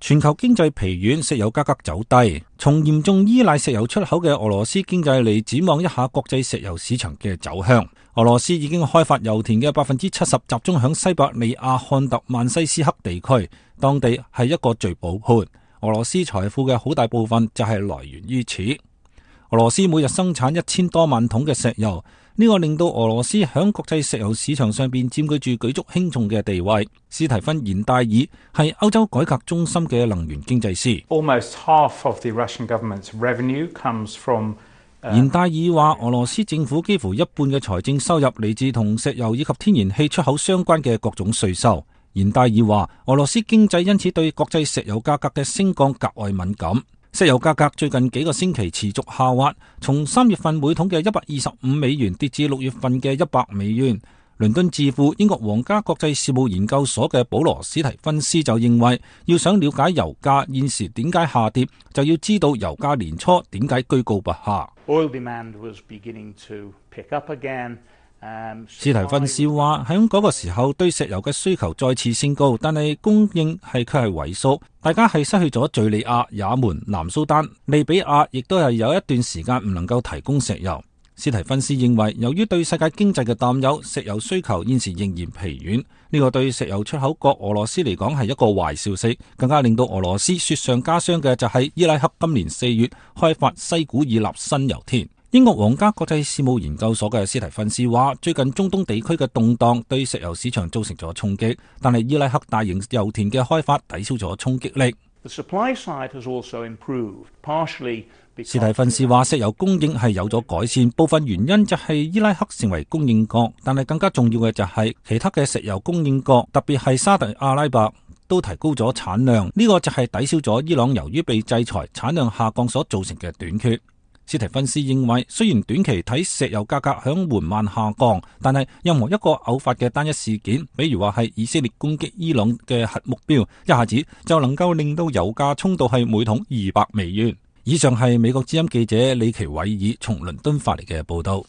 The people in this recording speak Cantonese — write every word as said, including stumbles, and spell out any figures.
全球經濟疲軟，石油價格走低。從嚴重依賴石油出口嘅俄羅斯經濟嚟展望一下國際石油市場嘅走向。俄羅斯已經開發油田嘅百分之七十集中響西伯利亞漢特曼西斯克地區，當地係一個聚寶盤。俄羅斯財富嘅好大部分就係來源於此。俄羅斯每日生產一千多萬桶嘅石油，呢個令到俄羅斯響國際石油市場上邊佔據住舉足輕重嘅地位。斯提芬延戴爾係歐洲改革中心嘅能源經濟師。Almost half of the Russian government's revenue comes from 延戴爾話，俄羅斯政府幾乎一半嘅財政收入嚟自同石油以及天然氣出口相關嘅各種稅收。延戴爾話，俄羅斯經濟因此對國際石油價格嘅升降格外敏感。石油價格最近幾個星期持續下滑，從三月份每桶嘅一百二十五美元跌至六月份嘅一百美元。倫敦智庫英國皇家國際事務研究所嘅保羅史提芬斯就認為，要想了解油價現時點解下跌，就要知道油價年初點解居高不下。Oil demand was beginning to pick up again. 史提芬斯話，喺嗰個時候對石油嘅需求再次升高，但係供應係卻係萎縮，大家係失去咗敘利亞、也門、南蘇丹、利比亞，亦都係有一段時間唔能夠提供石油。史提芬斯認為，由於對世界經濟嘅擔憂，石油需求現時仍然疲軟，呢個對石油出口國俄羅斯嚟講係一個壞消息。更加令到俄羅斯雪上加霜嘅就係伊拉克今年四月開發西古爾納新油田。英國皇家國際事務研究所嘅斯提芬斯話，最近中東地區嘅動盪對石油市場造成咗衝擊，但係伊拉克大型油田嘅開發抵消咗衝擊力。The supply side has also improved, partially because 斯提芬斯話，石油供應係有咗改善，部分原因就係伊拉克成為供應國，但係更加重要嘅就係其他嘅石油供應國，特別係沙特阿拉伯都提高咗產量，呢個就係抵消咗伊朗由於被制裁產量下降所造成嘅短缺。斯提芬斯認為，雖然短期睇石油價格響緩慢下降，但係任何一個偶發嘅單一事件，比如話係以色列攻擊伊朗嘅核目標，一下子就能夠令到油價衝到係每桶二百美元。以上係美國之音記者李奇偉爾從倫敦發嚟嘅報道。